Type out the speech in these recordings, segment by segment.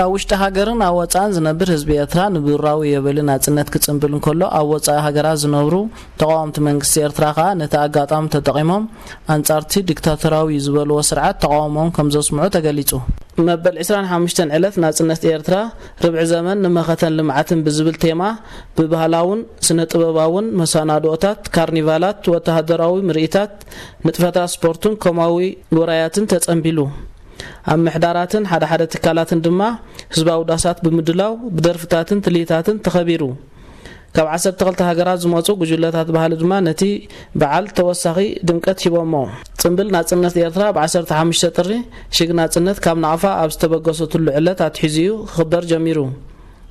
ኣብ ውሽጢ ሃገርን ኣብ ወጻእን ዝነብር ህዝቢ ኤርትራ ንብሩራዊ የበሊ ናጽነት ክጽንብል እንከሎ፣ ኣብ ወጻኢ ሃገራት ዝነብሩ ተቓወምቲ መንግስቲ ኤርትራ ከኣ ነቲ ኣጋጣሚ ተጠቒሞም ኣንጻርቲ ዲክታቶራዊ ዝበልዎ ስርዓት ተቓውሞኦም ከም ዘስምዑ ተገሊጹ። መበል ዕስራን ሓሙሽተን ዕለት ናጽነት ኤርትራ፣ ርብዒ ዘመን ንመኸተን ልምዓትን ብዝብል ቴማ፣ ብባህላውን ስነ ጥበባውን መሰናድኦታት፣ ካርኒቫላት፣ ወተሃደራዊ ምርኢታት፣ ንጥፈታት ስፖርትን ኮማዊ ውራያትን ተጸንቢሉ። ኣብ ምሕዳራትን ሓደ ሓደ ትካላትን ድማ ህዝባዊ ዳሳት ብምድላው ብደርፍታትን ትልሂታትን ተኸቢሩ። ካብ ዓሰርተ ክልተ ሃገራት ዝመጹ ጉጅለታት ባህሊ ድማ ነቲ በዓል ተወሳኺ ድምቀት ሂቦሞ። ጽምብል ናጽነት ኤርትራ ብ ዓሰርተ ሓሙሽተ ጥሪ ሽግ ናጽነት ካብ ናቕፋ ኣብ ዝተበገሰትሉ ዕለት ኣትሒዙ እዩ ክኽበር ጀሚሩ።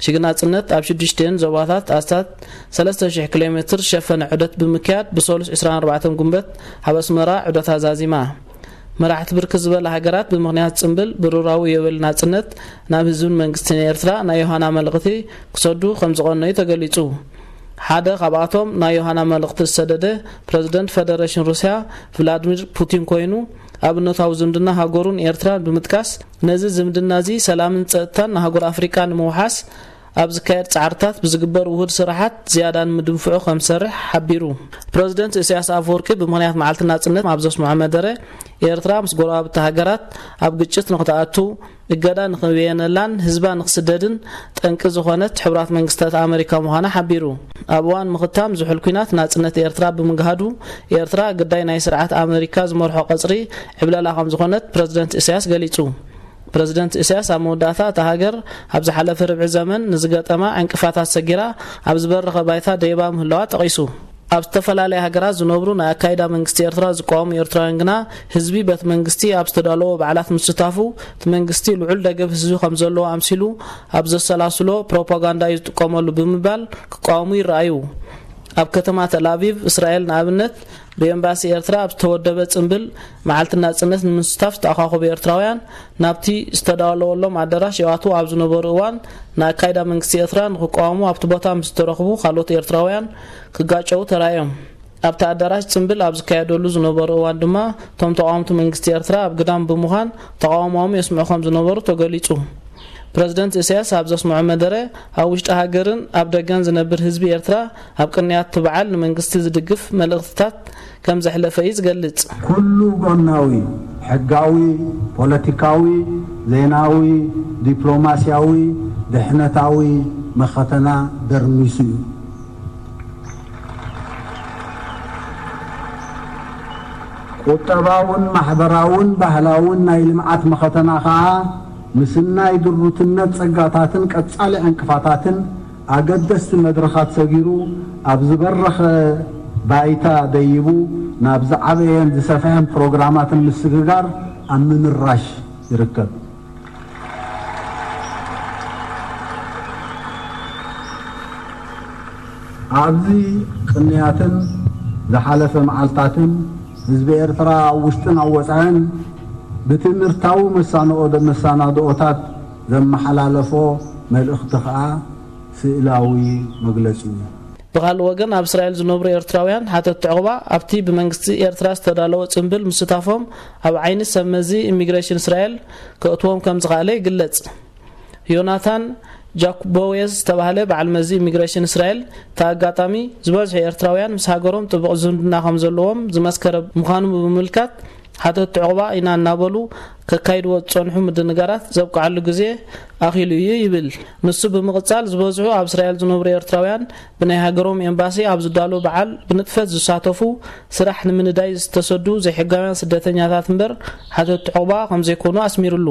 ሽግ ናጽነት ኣብ ሽዱሽተን ዞባታት ኣስታት ሰለስተ ሽሕ ኪሎ ሜትር ዝሸፈነ ዑደት ብምክያድ ብሰሉስ ዕስራን ኣርባዕተን ጉንበት ኣብ ኣስመራ ዑደታ ዛዚማ። መራሕቲ ብርክት ዝበላ ሃገራት ብምኽንያት ጽምብል ብሩራዊ የበል ናጽነት ናብ ህዝብን መንግስትን ኤርትራ ናይ ዮሃና መልእኽቲ ክሰዱ ከም ዝቐነዩ ተገሊጹ። ሓደ ካብኣቶም ናይ ዮሃና መልእኽቲ ዝሰደደ ፕረዚደንት ፈደረሽን ሩስያ ቭላድሚር ፑቲን ኮይኑ፣ ኣብነታዊ ዝምድና ሃገሩን ኤርትራን ብምጥቃስ፣ ነዚ ዝምድና እዚ ሰላምን ጸጥታን ንሃገር ኣፍሪቃ ንምውሓስ ኣብ ዝካየድ ጻዕርታት ብዝግበር ውሁድ ስራሓት ዝያዳ ንምድንፍዑ ከም ዝሰርሕ ሓቢሩ። ፕረዚደንት ኢሳያስ ኣፈወርቂ ብምኽንያት መዓልቲ ናጽነት ኣብ ዘስምዖ መደረ፣ ኤርትራ ምስ ጎረባብቲ ሃገራት ኣብ ግጭት ንኽትኣቱ፣ እገዳ ንኽበየነላን ህዝባ ንኽስደድን ጠንቂ ዝኾነት ሕቡራት መንግስታት ኣመሪካ ምዃና ሓቢሩ። ኣብ እዋን ምኽታም ዝሑል ኲናት ናጽነት ኤርትራ ብምግሃዱ፣ ኤርትራ ግዳይ ናይ ስርዓት ኣመሪካ ዝመርሖ ቀጽሪ ዕብለላ ከም ዝኾነት ፕረዚደንት ኢሳያስ ገሊጹ። ፕረዚደንት ኢሳያስ ኣብ መወዳእታ፣ እታ ሃገር ኣብ ዝሓለፈ ርብዒ ዘመን ንዝገጠማ ዕንቅፋታት ሰጊራ ኣብ ዝበረኸ ባይታ ደይባ ምህላዋ ጠቒሱ። ኣብ ዝተፈላለያ ሃገራት ዝነብሩ ናይ ኣካይዳ መንግስቲ ኤርትራ ዝቃወሙ ኤርትራውያን ግና፣ ህዝቢ በቲ መንግስቲ ኣብ ዝተዳለዎ በዓላት ምስታፉ፣ እቲ መንግስቲ ልዑል ደገፍ ህዝቢ ከም ዘለዎ ኣምሲሉ ኣብ ዘሰላስሎ ፕሮፓጋንዳ እዩ ዝጥቀመሉ ብምባል ክቃወሙ ይረኣዩ። ኣብ ከተማ ተል ኣቪቭ እስራኤል ንኣብነት፣ ብኤምባሲ ኤርትራ ኣብ ዝተወደበ ጽምብል መዓልቲ ናጽነት ንምስታፍ ዝተኣኻኸቡ ኤርትራውያን ናብቲ ዝተዳለወሎም ኣዳራሽ ይኣትዉ ኣብ ዝነበሩ እዋን፣ ንኣካይዳ መንግስቲ ኤርትራ ንኽቃወሙ ኣብቲ ቦታ ምስ ዝተረኽቡ ካልኦት ኤርትራውያን ክጋጨዉ ተራእዮም። ኣብቲ ኣዳራሽ ጽምብል ኣብ ዝካየደሉ ዝነበሩ እዋን ድማ፣ እቶም ተቓወምቲ መንግስቲ ኤርትራ ኣብ ግዳም ብምዃን ተቓውሞኦም የስምዑ ከም ዝነበሩ ተገሊጹ። ፕረዚደንት ኢሳያስ ኣብ ዘስምዖ መደረ፣ ኣብ ውሽጢ ሃገርን ኣብ ደገን ዝነብር ህዝቢ ኤርትራ ኣብ ቅንያት እቲ በዓል ንመንግስቲ ዝድግፍ መልእኽትታት ከም ዘሕለፈ እዩ ዝገልጽ። ኩሉ ጎናዊ፣ ሕጋዊ፣ ፖለቲካዊ፣ ዜናዊ፣ ዲፕሎማስያዊ፣ ድሕነታዊ መኸተና ደርሚሱ እዩ። ቁጠባውን ማሕበራውን ባህላውን ናይ ልምዓት መኸተና ኸኣ፣ ምስናይ ድሩትነት ጸጋታትን ቀጻሊ ዕንቅፋታትን ኣገደስቲ መድረኻት ሰጊሩ፣ ኣብ ዝበረኸ ባይታ ደይቡ፣ ናብ ዝዓበየን ዝሰፍሐን ፕሮግራማትን ምስግጋር ኣብ ምምራሽ ይርከብ። ኣብዚ ቅንያትን ዝሓለፈ መዓልታትን ህዝቢ ኤርትራ ኣብ ውሽጥን ኣብ ወጻእን ብትምህርታዊ መሳንኦ-፣ መሰናድኦታት ዘመሓላለፎ መልእኽቲ ከኣ ስእላዊ መግለጺ እዩ። ብኻልእ ወገን፣ ኣብ እስራኤል ዝነብሩ ኤርትራውያን ሓተትቲ ዕቑባ ኣብቲ ብመንግስቲ ኤርትራ ዝተዳለወ ጽምብል ምስታፎም ኣብ ዓይኒ ሰብ መዚ ኢሚግሬሽን እስራኤል ከእትዎም ከም ዝኸኣለ ይግለጽ። ዮናታን ጃኩቦዌዝ ዝተባህለ በዓል መዚ ኢሚግሬሽን እስራኤል፣ እቲ ኣጋጣሚ ዝበዝሑ ኤርትራውያን ምስ ሃገሮም ጥቡቕ ዝምድና ከም ዘለዎም ዝመስከረ ምዃኑ ብምምልካት፣ ሓተትቲ ዕቑባ ኢና እናበሉ ከካይድዎ ዝጸንሑ ምድንጋራት ዘብቅዓሉ ግዜ ኣኺሉ እዩ ይብል። ንሱ ብምቕጻል፣ ዝበዝሑ ኣብ እስራኤል ዝነብሩ ኤርትራውያን ብናይ ሃገሮም ኤምባሲ ኣብ ዝዳሎ በዓል ብንጥፈት ዝሳተፉ፣ ስራሕ ንምንዳይ ዝተሰዱ ዘይሕጋውያን ስደተኛታት እምበር ሓተትቲ ዕቑባ ከም ዘይኮኑ ኣስሚሩሉ።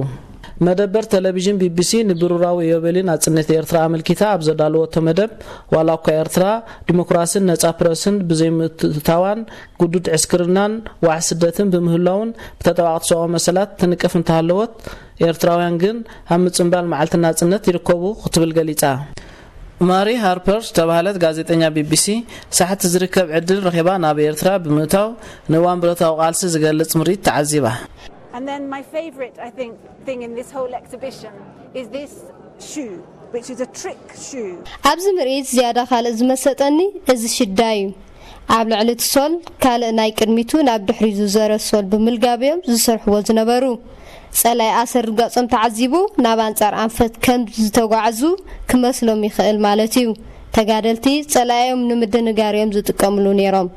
መደበር ቴሌቪዥን ቢቢሲ ንብሩራዊ ኢዮቤልዩ ናጽነት ኤርትራ ኣመልኪታ ኣብ ዘዳለወቶ መደብ፣ ዋላ እኳ ኤርትራ ዲሞክራስን ነጻ ፕረስን ብዘይምትእትታዋን ግዱድ ዕስክርናን ዋሕ ስደትን ብምህላውን ብተጣባቕቲ ሰብኣዊ መሰላት ትንቀፍ እንተሃለወት፣ ኤርትራውያን ግን ኣብ ምጽንባል መዓልቲ ናጽነት ይርከቡ ክትብል ገሊጻ። ማሪ ሃርፐር ዝተባህለት ጋዜጠኛ ቢቢሲ፣ ሳሕቲ ዝርከብ ዕድል ረኺባ ናብ ኤርትራ ብምእታው፣ ንእዋን ብረታዊ ቃልሲ ዝገልጽ ምርኢት ተዓዚባ። And then my favourite, I think, thing in this whole exhibition is this shoe, which is a trick shoe. ኣብዚ ምርኢት ዝያዳ ካልእ ዝመሰጠኒ እዚ ሽዳ እዩ። ኣብ ልዕሊ እቲ ሶል፣ ካልእ ናይ ቅድሚቱ ናብ ድሕሪት ዝዞረ ሶል ብምልጋብ እዮም ዝሰርሕዎ ዝነበሩ። ጸላኢ ኣሰር ርጋጾም ተዓዚቡ ናብ ኣንጻር ኣንፈት ከም ዝተጓዕዙ ክመስሎም ይኽእል ማለት እዩ። ተጋደልቲ ጸላኢዮም ንምድንጋር እዮም ዝጥቀምሉ ነይሮም።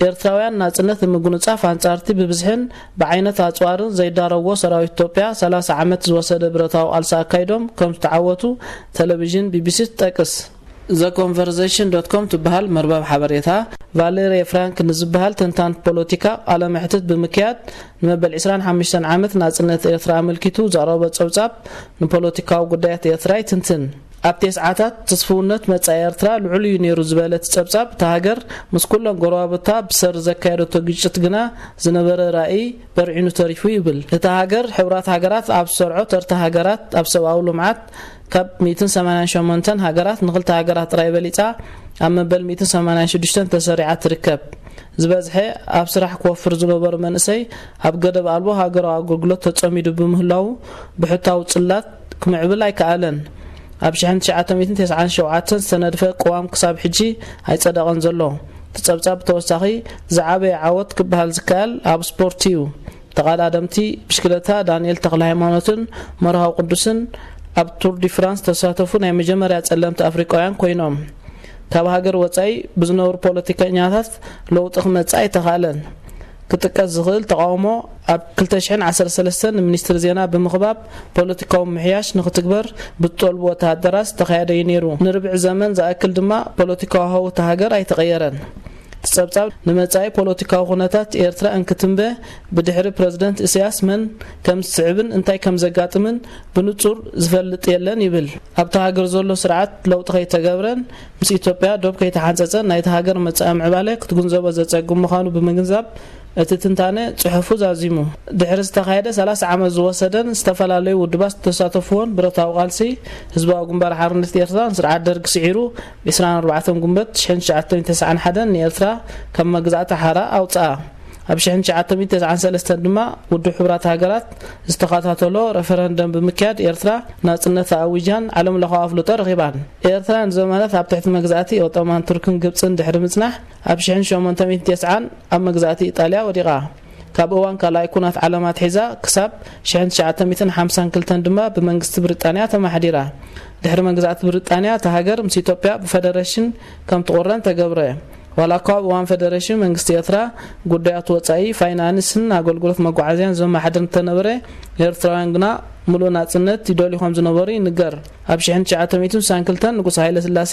ኤርትራውያን ናጽነት ንምጉንጻፍ ኣንጻርቲ ብብዝሕን ብዓይነት ኣጽዋርን ዘይዳረዎ ሰራዊት ኢትዮጵያ ሰላሳ ዓመት ዝወሰደ ብረታዊ ቃልሲ ኣካይዶም ከም ዝተዓወቱ ቴሌቪዥን ቢቢሲ ትጠቅስ። ዘ ኮንቨርሴሽን ዶት ኮም ትበሃል መርበብ ሓበሬታ፣ ቫሌሪ ፍራንክ ንዝበሃል ተንታን ፖለቲካ ቃለ መሕትት ብምክያድ፣ ንመበል ዕስራን ሓሙሽተን ዓመት ናጽነት ኤርትራ ኣመልኪቱ ዘቕረቦ ጸብጻብ፣ ንፖለቲካዊ ጉዳያት ኤርትራ ይትንትን። ኣብ ቴስዓታት ትስፍውነት መጻኢ ኤርትራ ልዑል እዩ ነይሩ ዝበለ እቲ ጸብጻብ፣ እታ ሃገር ምስ ኩለን ጎረባብታ ብሰሪ ዘካየደቶ ግጭት ግና ዝነበረ ራእይ በርዒኑ ተሪፉ ይብል። እታ ሃገር፣ ሕቡራት ሃገራት ኣብ ዝሰርዖ ተርታ ሃገራት ኣብ ሰብኣዊ ልምዓት ካብ ሚእትን ሰማንያን ሸሞንተን ሃገራት ንኽልተ ሃገራት ጥራይ በሊጻ ኣብ መበል ሚእትን ሰማንያን ሽዱሽተን ተሰሪዓ ትርከብ። ዝበዝሐ ኣብ ስራሕ ክወፍር ዝነበሩ መንእሰይ ኣብ ገደብ ኣልቦ ሃገራዊ ኣገልግሎት ተጸሚዱ ብምህላዉ፣ ብሕታዊ ጽላት ክምዕብል ኣይከኣለን። ኣብ ሽሕን ትሽዓተ ሚእትን ተስዓን ሸውዓተን ዝተነድፈ ቅዋም ክሳብ ሕጂ ኣይጸደቐን ዘሎ። እቲ ጸብጻብ ብተወሳኺ ዝዓበየ ዓወት ክበሃል ዝከኣል ኣብ ስፖርት እዩ። ተቐዳደምቲ ብሽክለታ ዳንኤል ተኽለ ሃይማኖትን መርሃዊ ቅዱስን ኣብ ቱር ዲ ፍራንስ ተሳተፉ ናይ መጀመርያ ጸለምቲ ኣፍሪቃውያን ኮይኖም። ካብ ሃገር ወጻኢ ብዝነብሩ ፖለቲከኛታት ለውጢ ክመጽእ ኣይተኻእለን። ክጥቀስ ዝኽእል ተቓውሞ ኣብ ክልተ ሽሕን ዓሰርተ ሰለስተን ንሚኒስትሪ ዜና ብምኽባብ ፖለቲካዊ ምሕያሽ ንኽትግበር ብዝጠልቡ ወተሃደራት ዝተኻየደ እዩ ነይሩ። ንርብዒ ዘመን ዝኣክል ድማ ፖለቲካዊ ሃው እታ ሃገር ኣይተቐየረን። እቲ ጸብጻብ ንመጻኢ ፖለቲካዊ ኩነታት ኤርትራ እንክትንበ ብድሕሪ ፕረዚደንት ኢሳያስ መን ከም ዝስዕብን እንታይ ከም ዘጋጥምን ብንጹር ዝፈልጥ የለን ይብል። ኣብታ ሃገር ዘሎ ስርዓት ለውጢ ከይተገብረን ምስ ኢትዮጵያ ዶብ ከይተሓንጸጸን ናይታ ሃገር መጻኢ ምዕባለ ክትግንዘቦ ዘጸግም ምዃኑ ብምግንዛብ እቲ ትንታነ ጽሑፉ ዛዚሙ። ድሕሪ ዝተኻየደ ሰላሳ ዓመት ዝወሰደን ዝተፈላለዩ ውድባት ዝተሳተፍዎን ብረታዊ ቃልሲ ህዝባዊ ግንባር ሓርነት ኤርትራ ንስርዓት ደርግ ስዒሩ ብ ዕስራን ኣርባዕተን ጉንበት ሽሕን ትሽዓተ ሚእትን ተስዓን ሓደን ንኤርትራ ካብ መግዛእቲ ሓራ ኣውጽኣ። ኣብ ሽሕን ትሽዓተ ሚእትን ተስዓን ሰለስተን ድማ ውድብ ሕቡራት ሃገራት ዝተኸታተሎ ረፈረንደም ብምክያድ ኤርትራ ናጽነታ ኣዊጃን ዓለም ለኻዊ ኣፍልጦ ረኺባን። ኤርትራ ንዘመናት ኣብ ትሕቲ መግዛእቲ ኦቶማን ቱርክን ግብጽን ድሕሪ ምጽናሕ ኣብ ሽሕን ሸሞንተ ሚእትን ተስዓን ኣብ መግዛእቲ ኢጣልያ ወዲቓ። ካብ እዋን ካልኣይ ኩናት ዓለም ኣትሒዛ ክሳብ ሽሕን ትሽዓተ ሚእትን ሓምሳን ክልተን ድማ ብመንግስቲ ብሪጣንያ ተማሕዲራ። ድሕሪ መግዛእቲ ብሪጣንያ እታ ሃገር ምስ ኢትዮጵያ ብፈደረሽን ከም ትቑረን ተገብረ። ዋላ እኳ ኣብ እዋን ፈደረሽን መንግስቲ ኤርትራ ጉዳያት ወጻኢ፣ ፋይናንስን ኣገልግሎት መጓዓዝያን ዘመሓድር እንተነበረ፣ ኤርትራውያን ግና ምሉእ ናጽነት ይደልዩ ከም ዝነበሩ ይንገር። ኣብ ሽሕን ትሽዓተ ሚእትን ስሳን ክልተን ንጉስ ሃይለ ስላሴ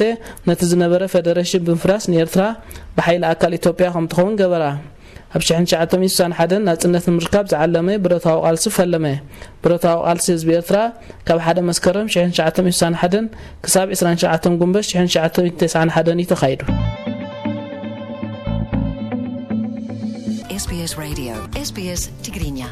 ነቲ ዝነበረ ፈደረሽን ብምፍራስ ንኤርትራ ብሓይሊ ኣካል ኢትዮጵያ ከም ትኸውን ገበራ። ኣብ ሽሕን ትሽዓተ ሚእትን ስሳን ሓደን ናጽነት ንምርካብ ዝዓለመ ብረታዊ ቃልሲ ፈለመ። ብረታዊ ቃልሲ ህዝቢ ኤርትራ ካብ ሓደ መስከረም ሽሕን ትሽዓተ ሚእትን ስሳን ሓደን ክሳብ ዕስራን ትሽዓተን ጉንበት ሽሕን ትሽዓተ ሚእትን ተስዓን ሓደን እዩ ተኻይዱ። SBS Radio, SBS Tigrinya.